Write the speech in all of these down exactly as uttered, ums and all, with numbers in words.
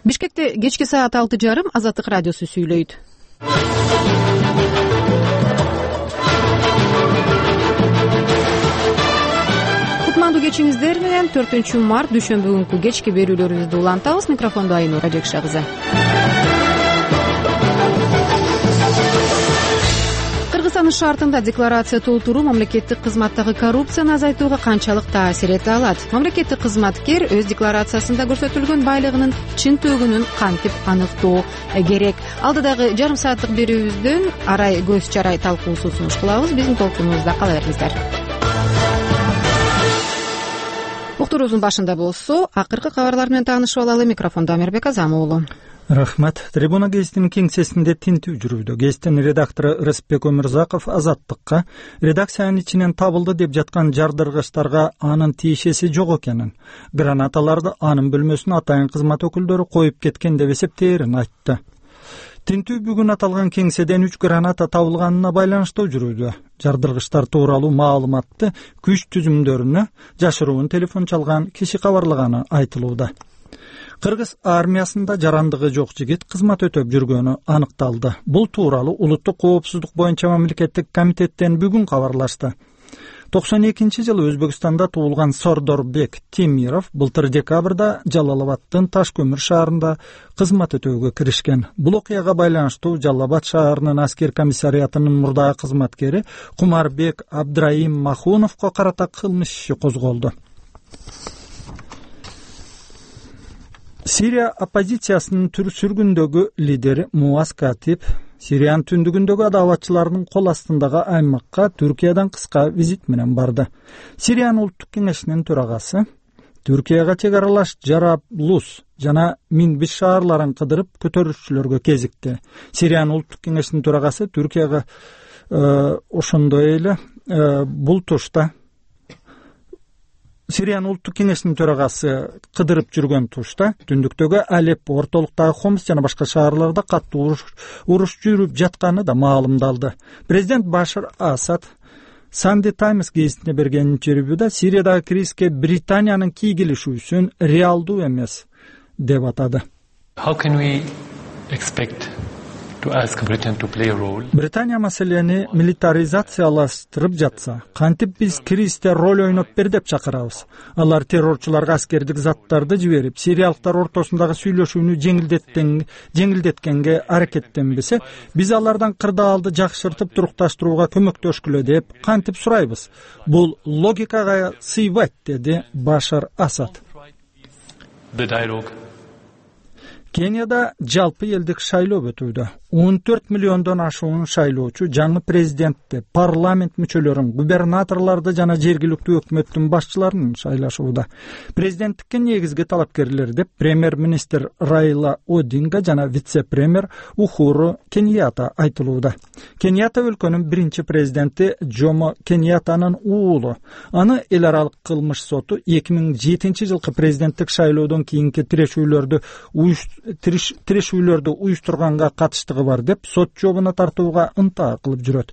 Бишкекте кечки саат алты жарым Азаттык радиосу сүйлөйт. Кутмандуу кечиңиздер менен төртүнчү март дүйшөмбү күнкү кечки берүүлөрүбүздү улантабыз. Микрофондо Айнура Жекша кызы. Кыргызстандын шартында декларация толтуруу мамлекеттик кызматтагы коррупцияны азайтууга канчалык таасир эте алат? Мамлекеттик кызматкер өз декларациясында көрсөтүлгөн байлыгынын чын төгүнүн кантип аныктоо керек? Алдыдагы жарым сааттык берүүбүздөн арай көз чарай талкуусу сунуш кылабыз. Биздин толкунубузда кала бериңиздер. Уктуруубуздун башында болсо, акыркы кабарлар менен таанышып алалы. Микрофондо Амирбек Азам уулу. Рахмат. Трибуна гезитинин кеңсесинде тинтүү жүрүүдө. Гезиттин редактору Рыспек Өмүрзаков Азаттыкка редакциянын ичинен табылды деп жаткан жардыргычтарга анын тиешеси жок экенин, гранаталарды анын бөлмөсүнө атайын кызмат өкүлдөрү коюп кеткен деп эсептээрин айтты. Тинтүү бүгүн аталган кеңседен үч граната табылганына байланыштуу жүрүүдө. Жардыргычтар тууралуу маалыматты күч түзүмдөрүнө жашыруун телефон чалган киши кабарлаганы айтылууда. Кыргыз армиясында жарандыгы жок жигит кызмат өтөп жүргөнү аныкталды. Бул тууралуу улуттук коопсуздук боюнча мамлекеттик комитеттен бүгүн кабарлашты. токсон экинчи жылы Өзбекстанда туулган Сордорбек Темиров былтыр декабрда Жалал-Абадтын Таш көмүр шаарында кызмат өтөөгө киришкен. Бул окуяга байланыштуу Жалал Абад шаарынын аскер комиссариятынын мурдагы кызматкери Кумарбек Абдраим Махуновго карата кылмыш иши козголду. Сирия оппозициясынын сүргүндөгү лидери Муаз Катип Сириянын түндүгүндөгү адаватчыларынын кол астындагы аймакка Түркиядан кыска визит менен барды. Сириянын улуттук кеңешинин төрагасы Түркияга чек аралаш Жараблус жана Минбиш шаарларын кыдырып көтөрүүчүлөргө кезикти. Сириянын улуттук кеңешинин төрагасы Түркияга э, ошондой эле э, бул тушта Сириянын улуттук кеңешинин төрагасы кыдырып жүргөн тушта түндүктөгү Алеппо, ортолуктагы Хомс жана башка шаарларда каттуу уруш жүрүп жатканы да маалымдалды. Президент Башар Асад Sunday Times гезитине берген интервьюда Сириядагы кризиске Британиянын кийгилишүүсүн реалдуу эмес деп атады. How can we expect to ask Britain to play a role? Британия маселени милитаризациялаштырып жатса, кантип биз кризисте роль ойноп бер деп чакырабыз. Алар террорчуларга аскердик заттарды жиберип, сириялыктар ортосундагы сүйлөшүүнү жеңилдеттен жеңилдеткенге аракеттенбесе, биз алардан кырдаалды жакшыртып турукташтырууга көмөктөшкүлө деп кантип сурайбыз. Бул логикага сыйбайт, деди Башар Асад. The dialogue. Кенияда жалпы элдик шайлоо өтүүдө. он төрт миллиондон ашуун шайлоочу жаңы президентти, парламент мүчөлөрүн, губернаторлорду жана жергиликтүү өкмөттүн башчыларын шайлашууда. Президенттикке негизги талапкерлер деп премьер-министр Райла Одинга жана вице-премьер Ухуру Кеньята айтылууда. Кеньята өлкөнүн биринчи президенти Джомо Кеньятанын уулу. Аны эл аралык кылмыш соту эки миң жетинчи жылкы президенттик шайлоодон кийинки тирешүүлөрдү тирешүүлөрдү уюштурганга катыштыгы бар деп сот жообуна тартууга ынтаа кылып жүрөт.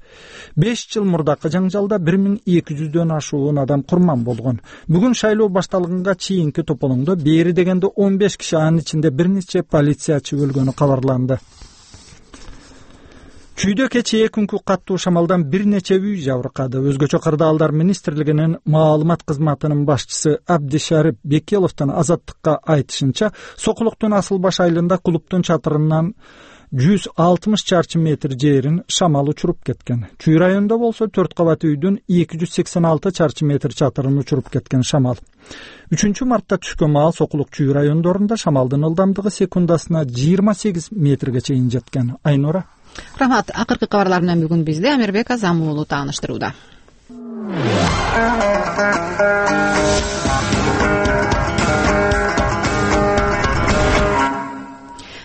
беш жыл мурдакы жаңжалда бир миң эки жүздөн ашуун адам курман болгон. Бүгүн шайлоо башталганга чейинки тополоңдо бери дегенде он беш киши, анын ичинде бир нече полициячы өлгөнү кабарланды. Чүйдө кечээ күнкү каттуу шамалдан бир нече үй жабыркады. Өзгөчө кырдаалдар министрлигинин маалымат кызматынын башчысы Абдишарип Бекеловдун Азаттыкка айтышынча, Сокулуктун Асыл баш айылында клубтун чатырынан жүз алтымыш чарчы метр жерин шамал учуруп кеткен. Чүй районунда болсо төрт кабат үйдүн эки жүз сексен алты чарчы метр чатырын учуруп кеткен шамал. үчүнчү мартта түшкөн маал Сокулук чүй райондорунда шамалдын ылдамдыгы секундасына жыйырма сегиз метрге чейин жеткен. Айнура. Рахмат. Акыркы кабарлар менен бүгүн бизде Амирбек Азам уулу тааныштырууда.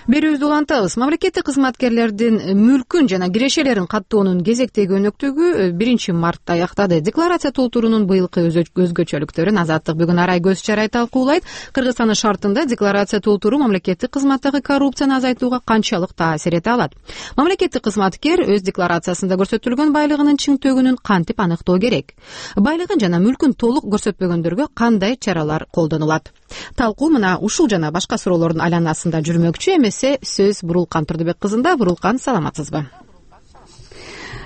Берүүбүздү улантабыз. Мамлекеттик кызматкерлердин мүлкүн жана кирешелерин каттоонун кезектеги өнөктүгү биринчи мартта аяктады. Декларация толтуруунун быйылкы өзгөчөлүктөрүн Азаттык бүгүн арай көз чарай талкуулайт. Кыргызстандын шартында декларация толтуруу мамлекеттик кызматтагы коррупцияны азайтууга канчалык таасир эте алат? Мамлекеттик кызматкер өз декларациясында көрсөтүлгөн байлыгынын чын төгүнүн кантип аныктоо керек? Байлыгын жана мүлкүн толук көрсөтпөгөндөргө кандай чаралар колдонулат? талкуу мына ушул жана башка суроолордун айланасында жүрмөкчү. Эмесе сөз Бурулкан Турдубек кызында. Бурулкан, саламатсызбы?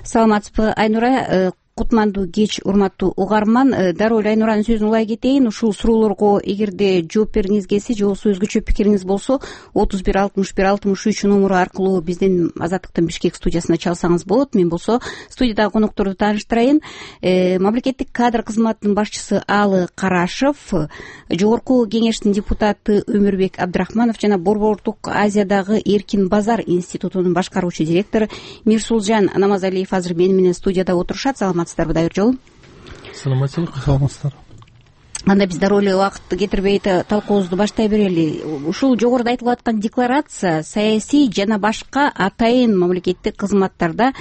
Саламатсызбы, Айнура. Кутмандуу кеч, урматтуу угарман. Дароо эле Айнуранын сөзүн улай кетейин. Ушул суроолорго эгерде жооп бергиңиз келсе же болбосо өзгөчө пикириңиз болсо отуз бир алтымыш бир алтымыш үч номуру аркылуу биздин Азаттыктын Бишкек студиясына чалсаңыз болот. Мен болсо студиядагы конокторду тааныштырайын. Мамлекеттик кадр кызматынын башчысы Алы Карашев, Жогорку кеңештин депутаты Өмүрбек Абдрахманов жана Борбордук Азиядагы Эркин Базар институтунун башкаруучу директору Мирсулжан Намазалиев азыр мени менен студияда отурушат. Саламатсыздарбы, дайыр жолу? Саламатсызбы, саламатсыздар. Анда биз дароо эле убакыт кетирбей талкуубузду баштай берели. Ушул жогоруда айтылып аткан декларация саясий жана башка атайын мамлекеттик кызматтарда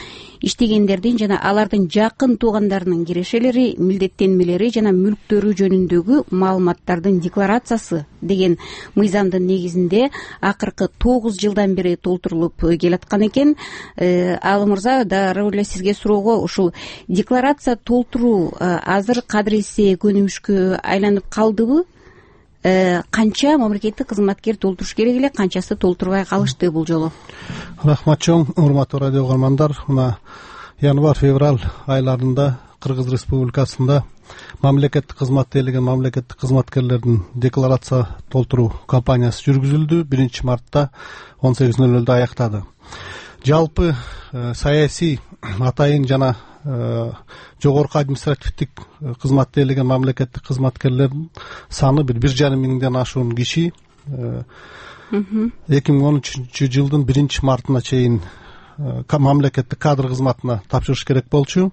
иштегендердин жана алардын жакын туугандарынын кирешелери, милдеттенмелери жана мүлктөрү жөнүндөгү маалыматтардын декларациясы деген мыйзамдын негизинде акыркы тогуз жылдан бери толтурулуп келаткан экен. Алы мырза, дароо эле сизге суроого, ушул декларация толтуруу азыр кадыресе көнүмүшкө айланып калдыбы? Канча мамлекеттик кызматкер толтуруш керек эле, канчасы толтурбай калышты бул жолу? Рахмат чоң, урматтуу радио угармандар. Мына январь-февраль айларында Кыргыз Республикасында мамлекеттик кызмат делеген мамлекеттик кызматкерлердин декларация толтуруу кампаниясы жүргүзүлдү. биринчи мартта он сегиз нөл нөлдө аяктады. Жалпы саясий атайын жана жогорку административдик кызмат делеген мамлекеттик кызматкерлердин саны бир бир жарым миңден ашуун киши эки миң он үчүнчү жылдын биринчи мартына чейин мамлекеттик кадр кызматына тапшырыш керек болчу.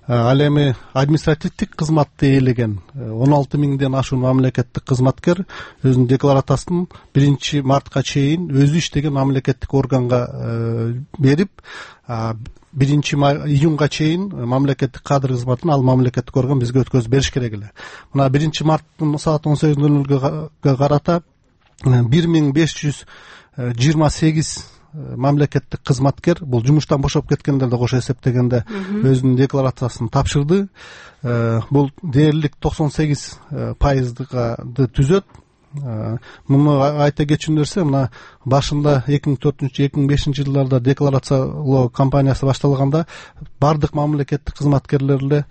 Ал эми административдик кызматты ээлеген он алты миңден ашуун мамлекеттик кызматкер өзүнүн декларациясын биринчи мартка чейин өзү иштеген мамлекеттик органга берип, биринчи июнга чейин мамлекеттик кадр кызматын ал мамлекеттик орган бизге өткөзүп бериш керек эле. Мына биринчи марттын саат он сегиз нөл нөлгө карата бир миң беш жүз жыйырма сегиз мамлекеттик кызматкер, бул жумуштан бошоп кеткендерди кошо эсептегенде, өзүнүн декларациясын тапшырды. Бул дээрлик токсон сегиз пайыздыгы түзөт. Муну айта кетчү нерсе, мына башында эки миң төртүнчү эки миң бешинчи жылдарда декларациялоо кампаниясы башталганда бардык мамлекеттик кызматкерлер эле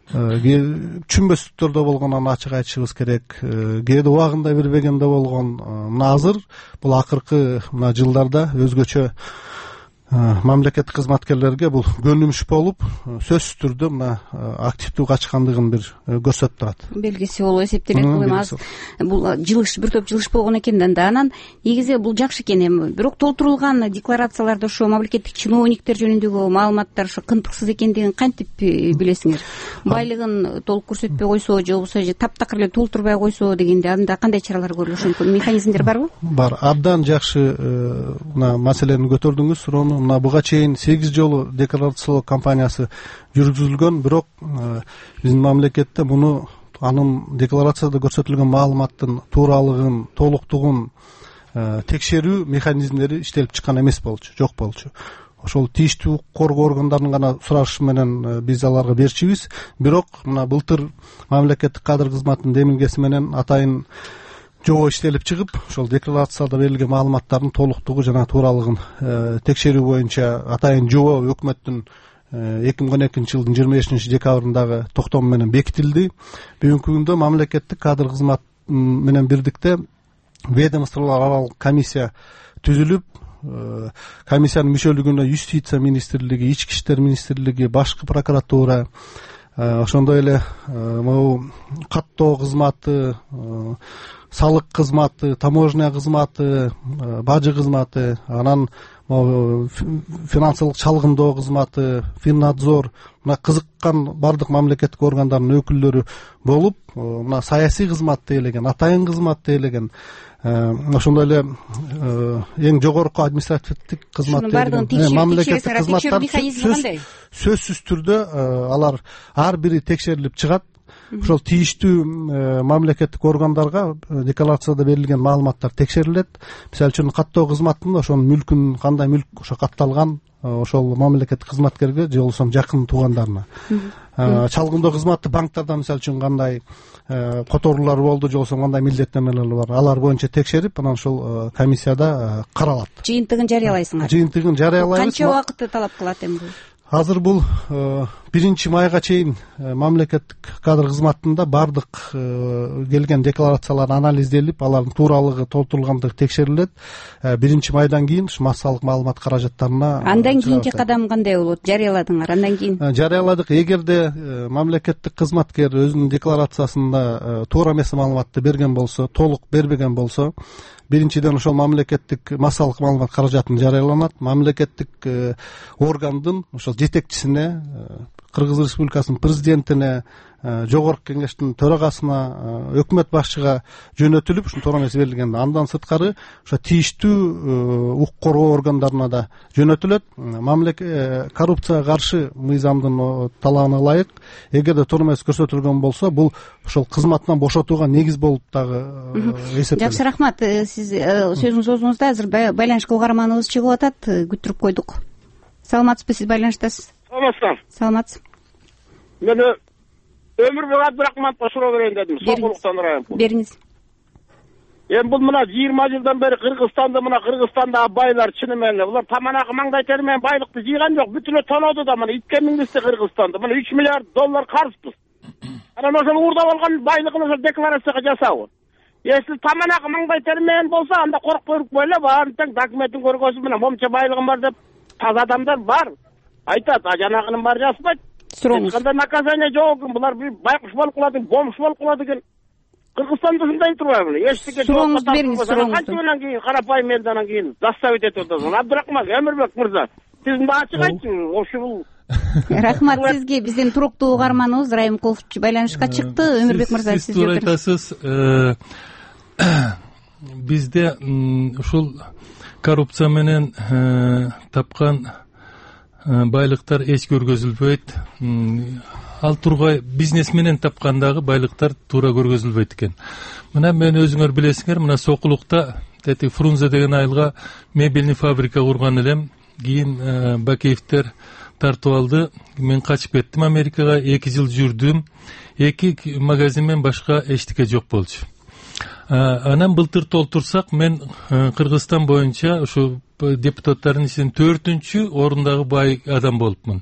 түшүнбөстүктөрдө болгон, аны ачык айтышыбыз керек. Кээде убагында бербегенде болгон. Мына азыр бул акыркы мына жылдарда өзгөчө мамлекеттик кызматкерлерге бул көнүмүш болуп, сөзсүз түрдө мына активдүү качкандыгын бир көрсөтүп турат. Белгиси болуп эсептелет. Бул эми азыр бул жылыш, бир топ жылыш болгон экен да. Анан негизи бул жакшы экен. Эми бирок толтурулган декларацияларда ошо мамлекеттик чиновниктер жөнүндөгү маалыматтар ошо кынтыксыз экендигин кантип билесиңер? Байлыгын толук көрсөтпөй койсо же болбосо же таптакыр эле толтурбай койсо дегенде анда кандай чаралар көрүлүшү мүмкүн? Механизмдер барбы? Бар. Абдан жакшы мына маселени көтөрдүңүз, суроону. Мына буга чейин сегиз жолу декларациялоо кампаниясы жүргүзүлгөн, бирок биздин мамлекетте муну анын декларацияда көрсөтүлгөн маалыматтын тууралыгын, толуктугун текшерүү механизмдери иштелип чыккан эмес болчу, жок болчу. Ошол тийиштүү коргоо органдарынын гана сурашы менен биз аларга берчүбүз. Бирок мына былтыр мамлекеттик кадр кызматынын демилгеси менен атайын жобо иштелип чыгып, ошол декларацияда берилген маалыматтардын толуктугу жана тууралыгын текшерүү боюнча атайын жобо өкмөттүн эки миң он экинчи жылдын жыйырма бешинчи декабрындагы токтому менен бекитилди. Бүгүнкү күндө мамлекеттик кадр кызмат менен бирдикте ведомстволор аралык комиссия түзүлүп, комиссиянын мүчөлүгүнө Юстиция министрлиги, Ички иштер министрлиги, башкы прокуратура, ошондой эле могу каттоо кызматы, салык кызматы, таможня кызматы, бажы кызматы, анан финансылык чалгындоо кызматы, Финнадзор, мына кызыккан бардык мамлекеттик органдардын өкүлдөрү болуп, мына саясий кызмат дейлеген, атайын кызмат дейлеген, ошондой эле эң жогорку административдик кызмат дейлеген мамлекеттик кызматтар сөзсүз түрдө алар ар бири текшерилип чыгат. ошол тийиштүү мамлекеттик органдарга декларацияда берилген маалыматтар текшерилет. Мисалы үчүн каттоо кызматында ошонун мүлкүн кандай мүлк ошо катталган ошол мамлекеттик кызматкерге же болбосо жакын туугандарына. Чалгындоо кызматы банктарда мисалы үчүн кандай которуулар болду же болбосо кандай милдеттенмелер бар, алар боюнча текшерип анан ошол комиссияда каралат. Жыйынтыгын жарыялайсыңар. Жыйынтыгын жарыялайбыз. Канча убакытты талап кылат эми бул? Азыр бул биринчи майга чейин мамлекеттик кадр кызматында баардык келген декларациялар анализделип, алардын тууралыгы, толтурулгандыгы текшерилет. Биринчи майдан кийин ушу массалык маалымат каражаттарына. Андан кийинки кадам кандай болот? Жарыяладыңар, андан кийин? Жарыяладык. Эгерде мамлекеттик кызматкер өзүнүн декларациясында туура эмес маалыматты берген болсо, толук бербеген болсо, биринчиден ошол мамлекеттик массалык маалымат каражатын жарыяланат. Мамлекеттик органдын ошол жетекчисине, Кыргыз Республикасынын президентине, жогорку кеңештин төрагасына, өкмөт башчыга жөнөтүлүп, ушун туура эмес берилген. Андан сырткары ошо тийиштүү укук коргоо органдарына да жөнөтүлөт. Мамлекет коррупцияга каршы мыйзамдын талабына ылайык эгерде туура эмес көрсөтүлгөн болсо, бул ошол кызматтан бошотууга негиз болуп дагы эсептелет. Жакшы, рахмат. Сиз сөзүңүз оозуңузда, азыр байланышка угарманыбыз чыгып атат, күттүрүп койдук. Саламатсызбы, сиз байланыштасыз? Саламатсызбы? Саламатсыз. Мен Өмүрбек Абдырахмановго суроо берейин дедим. Сокулуктан район. Бериңиз. Эми бул мына жыйырма жылдан бери Кыргызстанда, мына Кыргызстандагы байлар чыны менен булар таманакы маңдай тери менен байлыкты жыйган жок, бүтүнө тоноду да, мына итке мингизди Кыргызстанда. Мына үч миллиард доллар карызбыз. Анан ошол уурдап алган байлыгын ошол декларацияга жасабы. Если таманакы маңдай тери менен болсо, анда коркпой эле баарын тең документин көргөзүп менен момча байлыгым бар деп таза адамдар бар. Айтат, а жанагынын баары жазбайт. Сурооңуз. Кандай наказание жок экен, булар бир байкуш болуп калат экен, бомж болуп калат экен. Кыргызстанда ушундай турбайбы? Эчтеке сурооңузду бериңиз, сурооңузду. Канчадан кийин карапайым элден кийин заставить этип атасың. Абдырахман Өмүрбек мырза, сиз мына ачык айтыңыз, ошо бул. Рахмат сизге. Биздин туруктуу угарманыбыз Райымкулов байланышка чыкты. Өмүрбек мырза, сиз туура айтасыз. Бизде ушул коррупция менен тапкан байлыктар эч көргөзүлбөйт. Ал тургай бизнес менен тапкан дагы байлыктар туура көргөзүлбөйт экен. Мына мен өзүңөр билесиңер, мына Сокулукта тети Фрунзе деген айылга мебельный фабрика курган элем. Кийин Бакеевдер тартып алды. Мен качып кеттим Америкага, эки жыл жүрдүм. Эки магазин менен башка эчтеке жок болчу. Анан былтыр толтурсак, мен Кыргызстан боюнча ушу депутаттардын ичинен төртүнчү орундагы бай адам болупмун.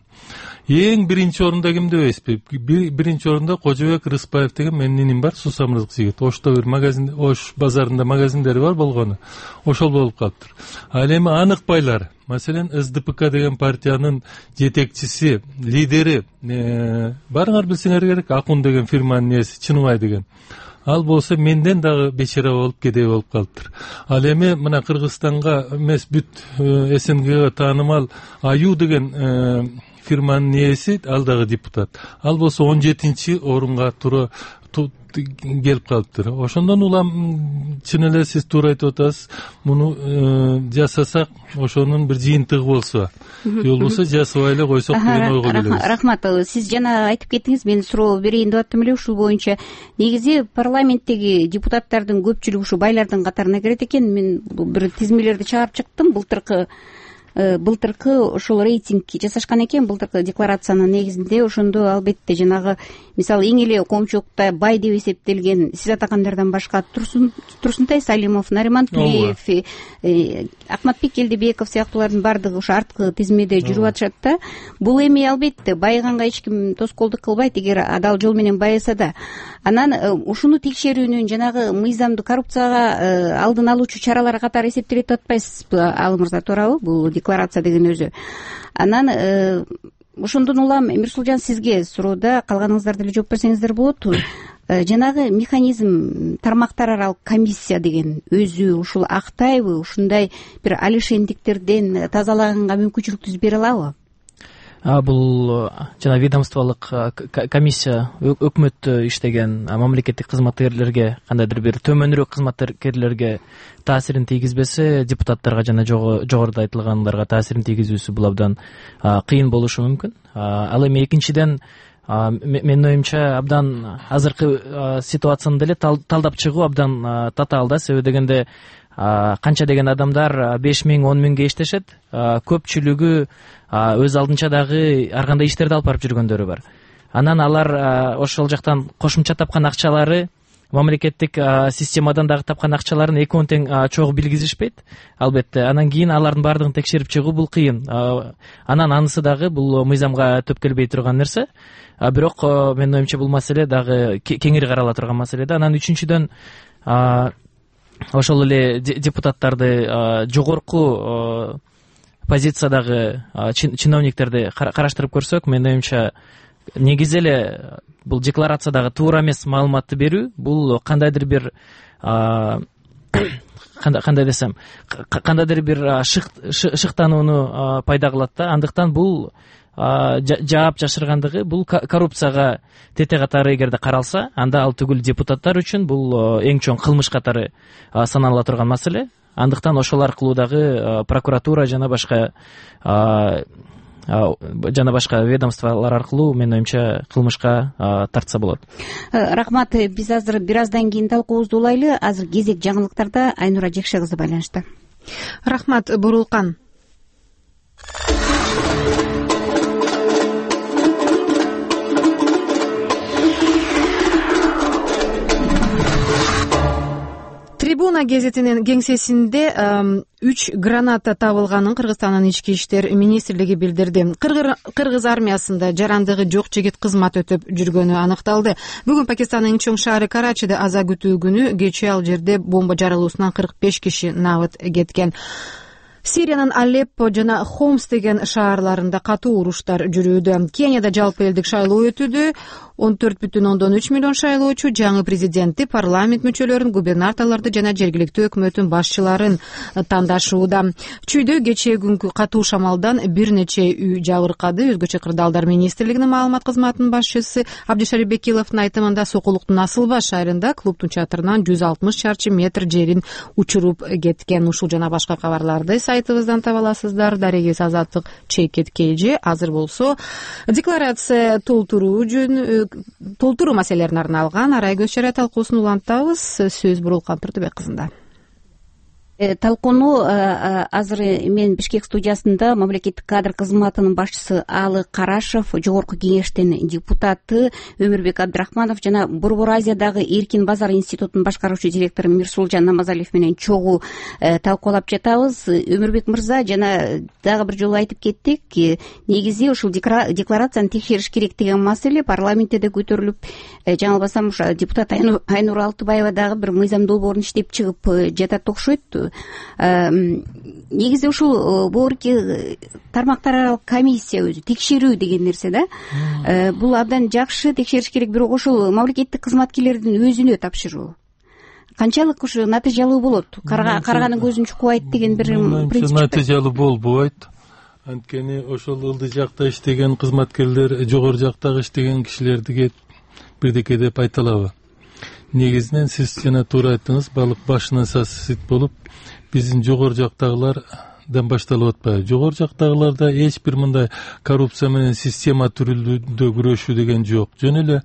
Эң биринчи орунда ким дебейсизби? Биринчи орунда Кожобек Рыспаев деген менин иним бар, Сусамырзык жигит. Ошто бир магазин, Ош базарында магазиндери бар болгону. Ошол болуп калыптыр. Ал эми анык байлар, маселен эс дэ пэ ка деген партиянын жетекчиси, лидери, барыңар билсеңер керек, Акун деген фирманын ээси, Чыныбай деген. Ал болсо менден дагы бечара болуп кедей болуп калыптыр. Ал эми мына Кыргызстанга эмес, бүт эс эн гэге таанымал Аю деген фирманын ээси, ал дагы депутат. Ал болсо он жетинчи орунга туура келип калыптыр. Ошондон улам чын эле сиз туура айтып атасыз. Муну жасасак, ошонун бир жыйынтыгы болсо, же болбосо жасабай эле койсок деген ойго келебиз. Рахмат. Сиз жана айтып кеттиңиз, мен суроо берейин деп аттым эле ушул боюнча. Негизи парламенттеги депутаттардын көпчүлүгү ушу байлардын катарына кирет экен. Мен бир тизмелерди чыгарып чыктым. Былтыркы былтыркы ошол рейтинг жасашкан экен, былтыркы декларациянын негизинде. Ошондо албетте жанагы мисалы эң эле коомчулукта бай деп эсептелген сиз атагандардан башка Турсунтай Салимов, Нариман Тулеев, Акматбек Элдебеков сыяктуулардын баардыгы ошо арткы тизмеде жүрүп атышат да. Бул эми албетте байыганга эч ким тоскоолдук кылбайт, эгер адал жол менен байыса да. Анан ушуну текшерүүнүн жанагы мыйзамдуу коррупцияга алдын алуучу чаралар катары эсептелет деп атпайсызбы, Ал мырза, туурабы бул декларация деген өзү? Анан ошондон улам Мирсулжан, сизге суроода калганыңыздар деле жооп берсеңиздер болот. Жанагы механизм, тармактар аралык комиссия деген өзү ушул актайбы, ушундай бир алишендиктерден тазалаганга мүмкүнчүлүк бере алабы? Бул жана ведомстволук комиссия өкмөт иштеген мамлекеттик кызматкерлерге, кандайдыр бир төмөнүрөөк кызматкерлерге таасирин тийгизбесе, депутаттарга жана жогоруда айтылгандарга таасирин тийгизүүсү бул абдан кыйын болушу мүмкүн. Ал эми экинчиден менин оюмча абдан азыркы ситуацияны деле талдап чыгуу абдан татаал да. Себеби дегенде канча деген адамдар беш миң он миңге иштешет, көпчүлүгү өз алдынча дагы ар кандай иштерди алып барып жүргөндөрү бар. Анан алар ошол жактан кошумча тапкан акчалары мамлекеттик системадан дагы тапкан акчаларын экөөнү тең чогуу билгизишпейт албетте. Анан кийин алардын баардыгын текшерип чыгуу бул кыйын. Анан анысы дагы бул мыйзамга төпкөлбөй турган нерсе. Бирок менин оюмча бул маселе дагы кеңири карала турган маселе да. Анан үчүнчүдөн ошол эле депутаттарды, жогорку позициядагы чиновниктерди караштырып көрсөк, менин оюмча негизи эле бул декларациядагы туура эмес маалыматты берүү, бул кандайдыр бир кандай десем, кандайдыр бир шыктанууну пайда кылат да. Андыктан бул жаап жашыргандыгы бул коррупцияга тете катары эгерде каралса, анда ал түгүл депутаттар үчүн бул эң чоң кылмыш катары санала турган маселе. Андыктан ошол аркылуу дагы прокуратура жана башка жана башка ведомстволор аркылуу менин оюмча кылмышка тартса болот. Рахмат. Биз азыр бир аздан кийин талкуубузду улайлы. Азыр кезек жаңылыктарда Айнура Жекше кызы байланышта. Рахмат, Бурулкан. Трибуна гезитинин кеңсесинде үч граната табылганын Кыргызстандын ички иштер министрлиги билдирди. Кыргыз армиясында жарандыгы жок жигит кызмат өтөп жүргөнү аныкталды. Бүгүн Пакистандын эң чоң шаары Карачиде аза күтүү күнү кечээ ал жерде бомба жарылуусунан кырк беш киши набыт кеткен. Сириянын Алеппо жана Хомс деген шаарларында катуу уруштар жүрүүдө. Кенияда жалпы элдик шайлоо өтүүдө. он төрт бүтүн ондон үч миллион шайлоочу жаңы президентти, парламент мүчөлөрүн, губернаторлорду жана жергиликтүү өкмөттүн башчыларын тандашууда. Чүйдө кечээ күнкү катуу шамалдан бир нече үй жабыркады. Өзгөчө кырдаалдар министрлигинин маалымат кызматынын башчысы Абдишарип Бекиловдун айтымында Сокулуктун Асыл Баш шаарында клубдун чатырынан жүз алтымыш чарчы метр жерин учуруп кеткен. Ушул жана башка кабарларды сайтыбыздан таба аласыздар. Дарегиз Азаттык Чейкет Кейже. Азыр болсо декларация толтуруу жөн толтуруу маселелерине арналган арай көз чара талкуусун улантабыз. Сөз Бурулкан Турдубек кызында. Талкууну азыр мен Бишкек студиясында мамлекеттик кадр кызматынын башчысы Алы Карашев, жогорку кеңештин депутаты Өмүрбек Абдрахманов жана Борбор Азиядагы Эркин базар институтунун башкаруучу директору Мирсулжан Намазалиев менен чогуу талкуулап жатабыз. Өмүрбек мырза, жана дагы бир жолу айтып кеттик, негизи ушул декларацияны текшериш керек деген маселе парламентте да көтөрүлүп, жаңылбасам депутат Айнура Алтыбаева дагы бир мыйзам долбоорун иштеп чыгып жатат окшойт. Негизи ушул боорки тармактар аралык комиссия өзү текшерүү деген нерсе да. Бул абдан жакшы, текшериш керек, бирок ошол мамлекеттик кызматкерлердин өзүнө тапшыруу канчалык ушу натыйжалуу болот? Карганын көзүн чукпайт деген бир принцип. Натыйжалуу болбойт. Анткени ошол ылдый жакта иштеген кызматкерлер жогору жактагы иштеген кишилерди бирдеке деп айта алабы? Негизинен сиз жана туура айттыңыз, балык башынан сасыт болуп, биздин жогору жактагылардан башталып атпайбы? Жогору жактагыларда эч бир мындай коррупция менен система түрүндө күрөшүү деген жок. Жөн эле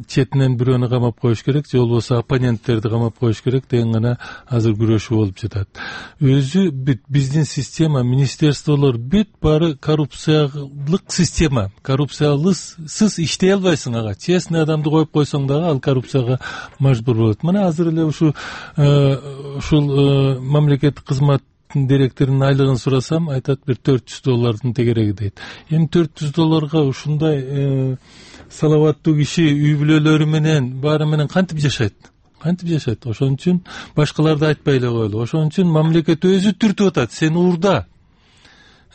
четинен бирөөнү камап коюш керек, же болбосо оппоненттерди камап коюш керек деген гана азыр күрөшүү болуп жатат. Өзү бүт биздин система, министерстволор бүт баары коррупциялык система. Коррупциялысыз иштей албайсың ага. Честный адамды коюп койсоң дагы ал коррупцияга мажбур болот. Мына азыр эле ушу ушул мамлекеттик кызмат директорунун айлыгын сурасам, айтат бир төрт жүз доллардын тегереги дейт. Эми төрт жүз долларга ушундай салаваттуу киши үй бүлөлөрү менен баары менен кантип жашайт? Кантип жашайт? Ошон үчүн башкаларды айтпай эле коелу. Ошон үчүн мамлекет өзү түртүп атат, сен уурда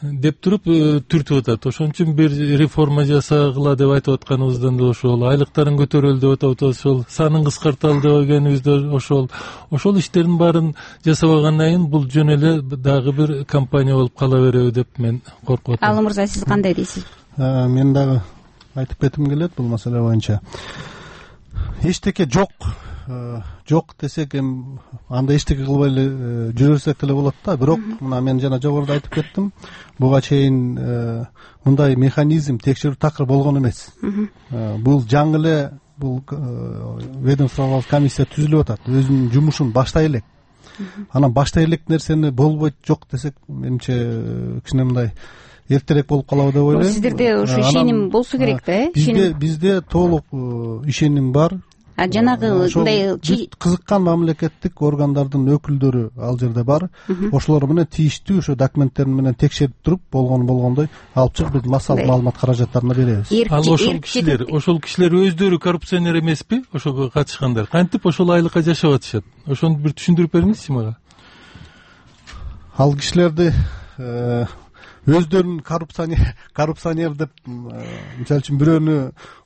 деп туруп түртүп атат. Ошон үчүн бир реформа жасагыла деп айтып атканыбыздан да ошол, айлыктарын көтөрөлү деп атабыз ошол, санын кыскарталы деп дегенибиз да ошол. Ошол иштердин баарын жасабагандан кийин бул жөн эле дагы бир компания болуп кала береби деп мен коркуп атам. Алы мырза, сиз кандай дейсиз? Мен дагы айтып кетким келет бул маселе боюнча. Эчтеке жок жок десек эми анда эчтеке кылбай эле жүрө берсек деле болот да. Бирок мына мен жана жогоруда айтып кеттим, буга чейин мындай механизм, текшерүү такыр болгон эмес. Бул жаңы эле бул ведомстволук комиссия түзүлүп атат, өзүнүн жумушун баштай элек. Анан баштай элек нерсени болбойт жок десек, менимче кичине мындай эртерээк болуп калабы деп ойлойм. Сиздерде ошо ишеним болсо керек да, э? Бизде бизде толук ишеним бар. А жанагы мындай кызыккан мамлекеттик органдардын өкүлдөрү ал жерде бар. Ошолор менен тийиштүү ошо документтер менен текшерип туруп, болгону болгондой алып чыгып биз массалык маалымат каражаттарына беребиз. Ал ошол кишилер, ошол кишилер өздөрү коррупционер эмеспи? Ошого катышкандар кантип ошол айлыкка жашап атышат? Ошону бир түшүндүрүп бериңизчи мага. Ал кишилерди өздөрүн коррупционер деп, мисалы үчүн бирөөнү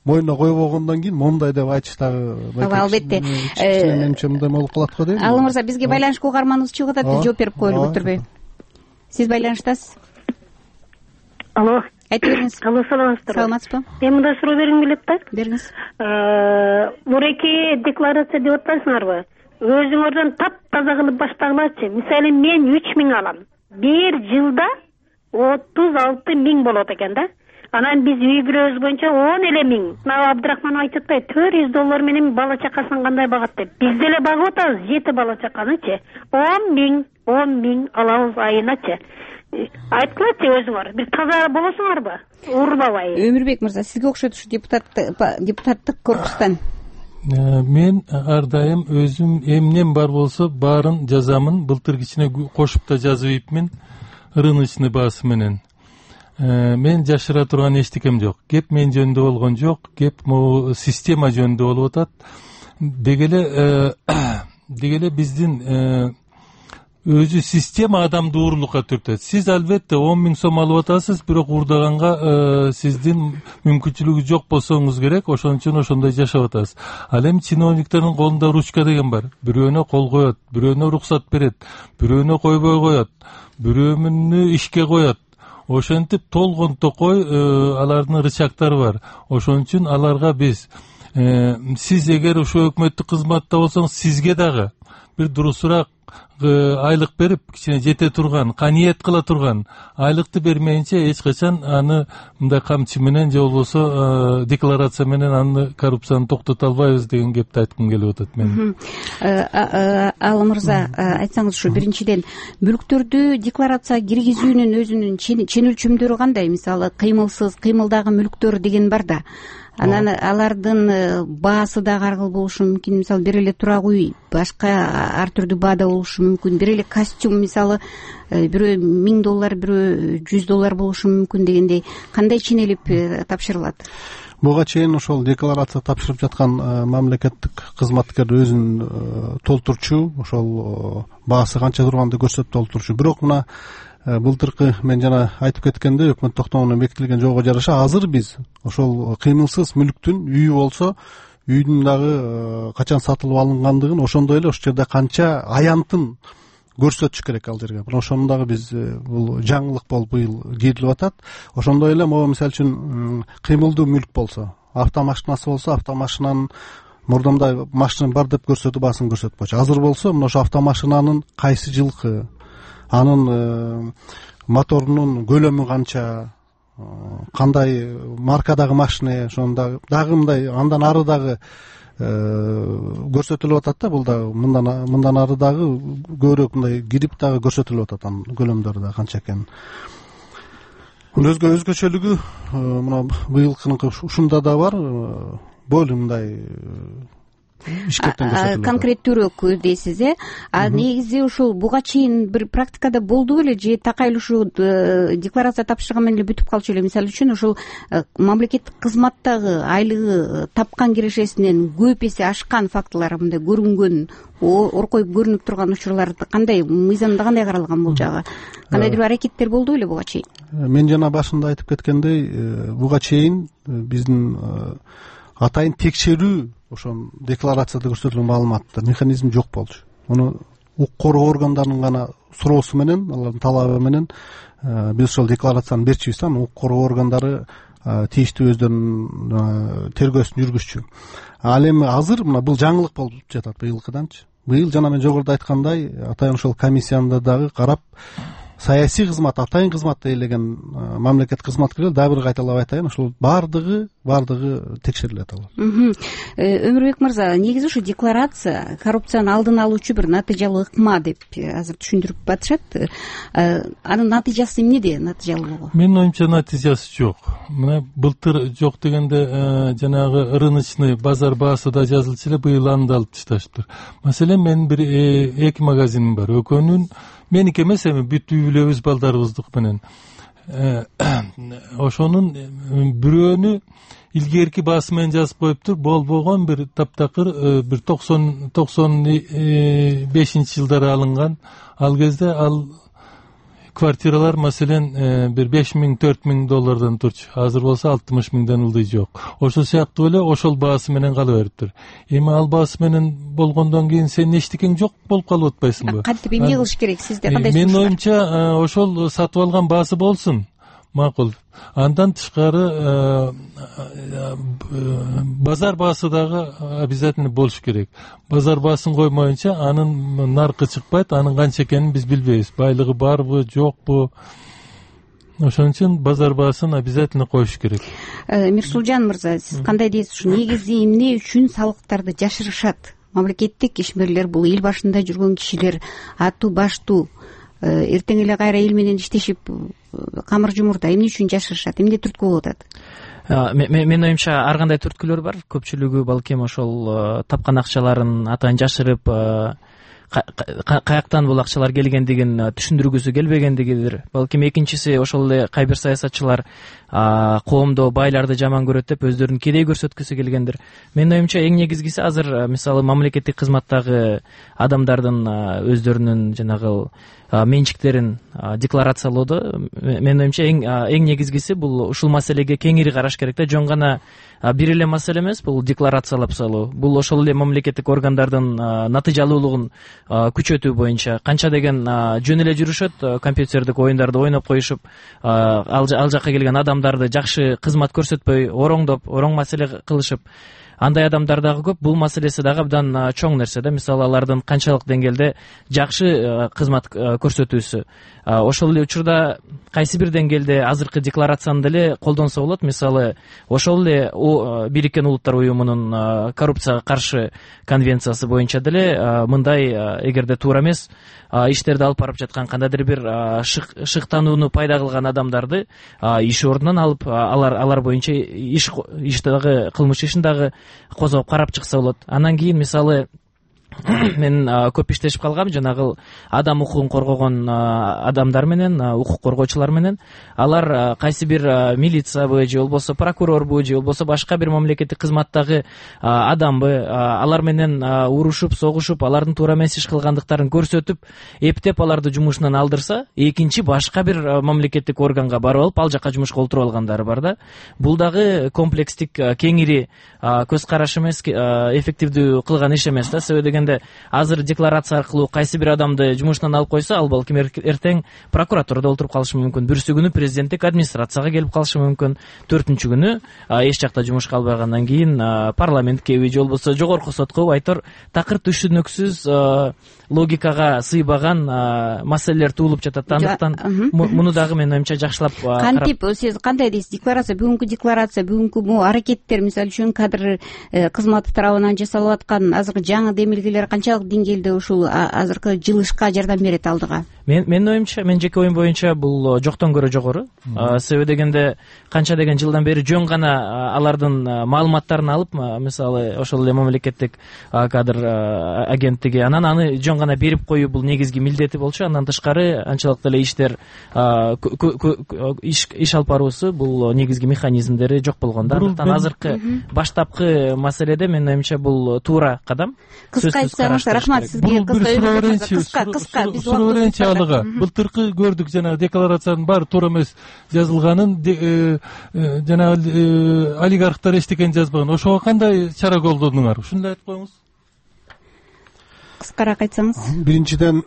мойнуна койбогондон кийин мондай деп айтыш дагы албетте менимче мындай болуп калат го дейм. Алым мырза, бизге байланышка угарманыбыз чыгып атат, биз жооп берип коелу, көтөрбөй. Сиз байланыштасыз. Алло. Айтып бериңиз. Алло, саламатсыздарбы? Саламатсызбы? Мен мындай суроо бергим келет да. Бериңиз. Буреки декларация деп атпайсыңарбы? Өзүңөрдөн таптаза кылып баштагылачы. Мисалы мен үч миң алам. Бир жылда отуз алты миң болот экен да. Анан биз үй кирөөбүз боюнча он эле миң. Мына Абдрахман айтып атпайбы, төрт жүз доллар менен бала чакасын кандай багат деп. Биз деле багып атабыз жети бала чаканычы. он миң, он миң алабыз айыначы. Айткылачы өзүңөр, бир таза болосуңарбы? Урбабай. Өмүрбек мырза, сизге окшойт ушу депутат депутаттык корпустан. Мен ар дайым өзүм эмнем бар болсо баарын жазамын. Былтыр кичине кошуп да жазып ийипмин. Рыночный баасы менен. Мен жашыра турган эчтекем жок. Кеп мен жөнүндө болгон жок, кеп могу система жөнүндө болуп атат. Дегеле дегеле биздин өзү система адамды уурулукка түртөт. Сиз албетте он миң сом алып атасыз, бирок уурдаганга сиздин мүмкүнчүлүгү жок болсоңуз керек, ошон үчүн ошондой жашап атасыз. Ал эми чиновниктердин колунда ручка деген бар. Бирөөнө кол коет, бирөөнө уруксат берет, бирөөнө койбой коет, бирөөнү ишке коет. Ошентип толгон токой алардын рычагтары бар. Ошон үчүн аларга биз сиз эгер ошо өкмөттүк кызматта болсоңуз, сизге дагы бир дурусураак айлык берип, кичине жете турган, каниет кыла турган айлыкты бермейинче эч качан аны мындай камчы менен же болбосо декларация менен аны коррупцияны токтото албайбыз деген кепти айткым келип атат мен. Ал мырза, айтсаңыз ушу биринчиден мүлктөрдү декларацияга киргизүүнүн өзүнүн чен өлчөмдөрү кандай? Мисалы кыймылсыз, кыймылдагы мүлктөр деген бар да. Анан алардын баасы дагы ар кыл болушу мүмкүн. Мисалы бир эле турак үй башка ар түрдүү баада болушу мүмкүн. Бир эле костюм, мисалы бирөө миң доллар, бирөө жүз доллар болушу мүмкүн дегендей. Кандай ченелип тапшырылат? Буга чейин ошол декларация тапшырып жаткан мамлекеттик кызматкер өзүн толтурчу, ошол баасы канча турганды көрсөтүп толтурчу. Бирок мына былтыркы мен жана айтып кеткендей өкмөт токтомуна бекитилген жолго жараша азыр биз ошол кыймылсыз мүлктүн үйү болсо үйдүн дагы качан сатылып алынгандыгын, ошондой эле ошол жерде канча аянтын көрсөтүш керек ал жерге. Мына ошону дагы биз бул жаңылык болуп быйыл кирилип атат. Ошондой эле могу мисалы үчүн кыймылдуу мүлк болсо, автомашинасы болсо, автомашинанын мурдамдай машина бар деп көрсөтүп баасын көрсөтпөчү. Азыр болсо мына ошо автомашинанын кайсы жылкы, анын моторунун көлөмү канча, кандай маркадагы машина, ошондо дагы мындай андан ары дагы көрсөтүлүп атат да. Бул дагы мындан мындан ары дагы көбүрөөк мындай кирип дагы көрсөтүлүп атат, анын көлөмдөрү да канча экенин. Өзгө өзгөчөлүгү мына быйылкыныкы ушунда да бар. Болу мындай конкреттүүрөөк дейсиз, э? А негизи ушул буга чейин бир практикада болду беле же такай эле ушул декларация тапшырган менен эле бүтүп калчу эле? Мисалы үчүн ушул мамлекеттик кызматтагы айлыгы тапкан кирешесинен көп эсе ашкан фактылар мындай көрүнгөн, оркоюп көрүнүп турган учурлар кандай, мыйзамда кандай каралган бул жагы? Кандайдыр аракеттер болду беле буга чейин? Мен жана башында айтып кеткендей, буга чейин биздин атайын текшерүү ошон декларацияда көрсөтүлгөн маалыматтар механизм жок болчу. Муну укук коргоо органдарынын гана суроосу менен, алардын талабы менен биз ошол декларацияны берчүбүз да. Укук коргоо органдары тийиштүү өздөрүнүн тергөөсүн жүргүзчү. Ал эми азыр мына бул жаңылык болуп жатат быйылкыданчы. Быйыл жана мен жогоруда айткандай атайын ошол комиссияны дагы карап саясий кызмат, атайын кызматты ээлеген мамлекеттик кызматкерлер дагы бир кайталап айтайын, ошол баардыгы баардыгы текшерилет алар. Өмүрбек мырза, негизи ушу декларация коррупцияны алдын алуучу бир натыйжалуу ыкма деп азыр түшүндүрүп атышат. Анын натыйжасы эмнеде, натыйжалуулугу? Менин оюмча натыйжасы жок. Мына былтыр жок дегенде жанагы рыночный базар баасы да жазылчу эле, быйыл аны да алып ташташыптыр. Маселен, менин бир эки магазиним бар. Экөөнүн меники эмес, эми бүт үй бүлөбүз балдарыбыздык менен. Ошонун бирөөнү илгерки баасы менен жазып коюптур. Болбогон бир таптакыр бир токсон токсон бешинчи жылдары алынган. Ал кезде ал квартиралар маселен бир беш миң төрт миң доллардан турчу. Азыр болсо алтымыш миңден ылдый жок. Ошол сыяктуу эле ошол баасы менен кала бериптир. Эми ал баасы менен болгондон кийин сен эчтекең жок болуп калып атпайсыңбы? Кантип эмне кылыш керек? Сизде кандай? Менин оюмча ошол сатып алган баасы болсун. Макул. Андан тышкары базар баасы дагы обязательно болуш керек. Базар баасын коймоюнча анын наркы чыкпайт, анын канча экенин биз билбейбиз. Байлыгы барбы, жокпу? Ошон үчүн базар баасын обязательно коюш керек. Мирсулжан мырза, сиз кандай дейсиз? Ушу негизи эмне үчүн салыктарды жашырышат? Мамлекеттик ишмерлер, бул эл башында жүргөн кишилер, аттуу баштуу, эртең эле кайра эл менен иштешип камыр жумурда эмне үчүн жашырышат, эмне түрткү болуп атат? Менин оюмча ар кандай түрткүлөр бар. Көпчүлүгү балким ошол тапкан акчаларын атайын жашырып, каяктан бул акчалар келгендигин түшүндүргүсү келбегендигидир. Балким экинчиси ошол эле кайбир саясатчылар коомдо байларды жаман көрөт деп өздөрүн кедей көрсөткүсү келгендир. Менин оюмча эң негизгиси азыр мисалы мамлекеттик кызматтагы адамдардын өздөрүнүн жанагы менчиктерин декларациялоодо менин оюмча эң эң негизгиси бул ушул маселеге кеңири караш керек да. Жөн гана бир эле маселе эмес бул декларациялап салуу. Бул ошол эле мамлекеттик органдардын натыйжалуулугун күчөтүү боюнча канча деген жөн эле жүрүшөт, компьютердик оюндарды ойноп коюшуп, ал жакка келген адамдарды жакшы кызмат көрсөтпөй, ороңдоп, ороң маселе кылышып, андай адамдар дагы көп. Бул маселеси дагы абдан чоң нерсе да. Мисалы алардын канчалык деңгээлде жакшы кызмат көрсөтүүсү. Ошол эле учурда кайсы бир деңгээлде азыркы декларацияны деле колдонсо болот. Мисалы ошол эле Бириккен Улуттар уюмунун коррупцияга каршы конвенциясы боюнча деле мындай, эгерде туура эмес иштерди алып барып жаткан кандайдыр бир шыктанууну пайда кылган адамдарды иш ордунан алып, алар алар боюнча иш иш дагы кылмыш ишин дагы козгоп карап чыкса болот. Андан кийин мисалы мен көп иштешип калгам жанагы адам укугун коргогон адамдар менен, укук коргоочулар менен. Алар кайсы бир милициябы же болбосо прокурорбу же болбосо башка бир мамлекеттик кызматтагы адамбы, алар менен урушуп, согушуп, алардын туура эмес иш кылгандыктарын көрсөтүп, эптеп аларды жумушунан алдырса, экинчи башка бир мамлекеттик органга барып алып, ал жакка жумушка олтуруп алгандары бар да. Бул дагы комплекстик, кеңири көз караш эмес, эффективдүү кылган иш эмес да. Себеби дегенде азыр декларация аркылуу кайсы бир адамды жумушунан алып койсо, ал балким эртең прокуратурада олтуруп калышы мүмкүн, бүрсү күнү президенттик администрацияга келип калышы мүмкүн, төртүнчү күнү эч жакта жумушка албагандан кийин парламенткеби же болбосо жогорку сотко айтор такыр түшүнүксүз, логикага сыйбаган маселелер туулуп жатат. Андыктан муну дагы менин оюмча жакшылап кантип, сиз кандай дейсиз? Декларация, бүгүнкү декларация, бүгүнкү бул аракеттер, мисалы үчүн кадр кызматы тарабынан жасалып аткан азыркы жаңы демилгелер канчалык деңгээлде ушул азыркы жылышка жардам берет алдыга? Мен менин оюмча, мен жеке оюм боюнча бул жоктон көрө жогору. Себеби дегенде канча деген жылдан бери жөн гана алардын маалыматтарын алып, мисалы ошол эле мамлекеттик кадр агенттиги, анан аны жөн гана берип коюу бул негизги милдети болчу. Андан тышкары анчалык деле иштер, иш алып баруусу бул негизги механизмдери жок болгон да. Андыктан азыркы баштапкы маселеде менин оюмча бул туура кадам. Кыска айтсаңыз, рахмат сизге. Кыска, кыска, биз алыга. Былтыркы көрдүк жанагы декларациянын баары туура эмес жазылганын, жанагы олигархтар эчтекени жазбаган. Ошого кандай чара колдонуңар? Ушуну айтып коюңуз. Кыскараак айтсаңыз. Биринчиден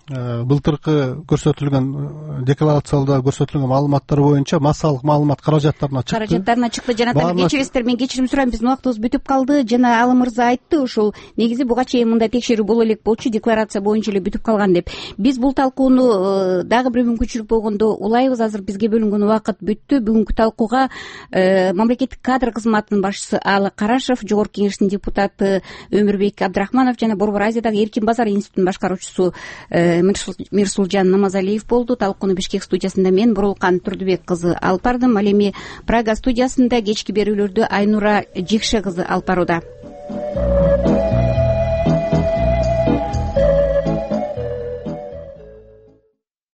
былтыркы көрсөтүлгөн декларацияларда көрсөтүлгөн маалыматтар боюнча массалык маалымат каражаттарына чыкты каражаттарына чыкты жана кечиресиздер, мен кечирим сурайм, биздин убактыбыз бүтүп калды. жана Алым мырза айтты, ушул негизи буга чейин мындай текшерүү боло элек болчу, декларация боюнча эле бүтүп калган деп. Биз бул талкууну дагы бир мүмкүнчүлүк болгондо улайбыз. Азыр бизге бөлүнгөн убакыт бүттү. Бүгүнкү талкууга мамлекеттик кадр кызматынын башчысы Аалы Карашев, Жогорку Кеңештин депутаты Өмүрбек Абдрахманов жана Борбор Азиядагы Эркин Базар институтунун башкаруучусу Мирсулжан Намазалиев болду. Талкууну Бишкек студиясында мен Бурулкан Турдубек кызы алып бардым. Ал эми Прага студиясында кечки берүүлөрдү Айнура Жекше кызы алып барууда.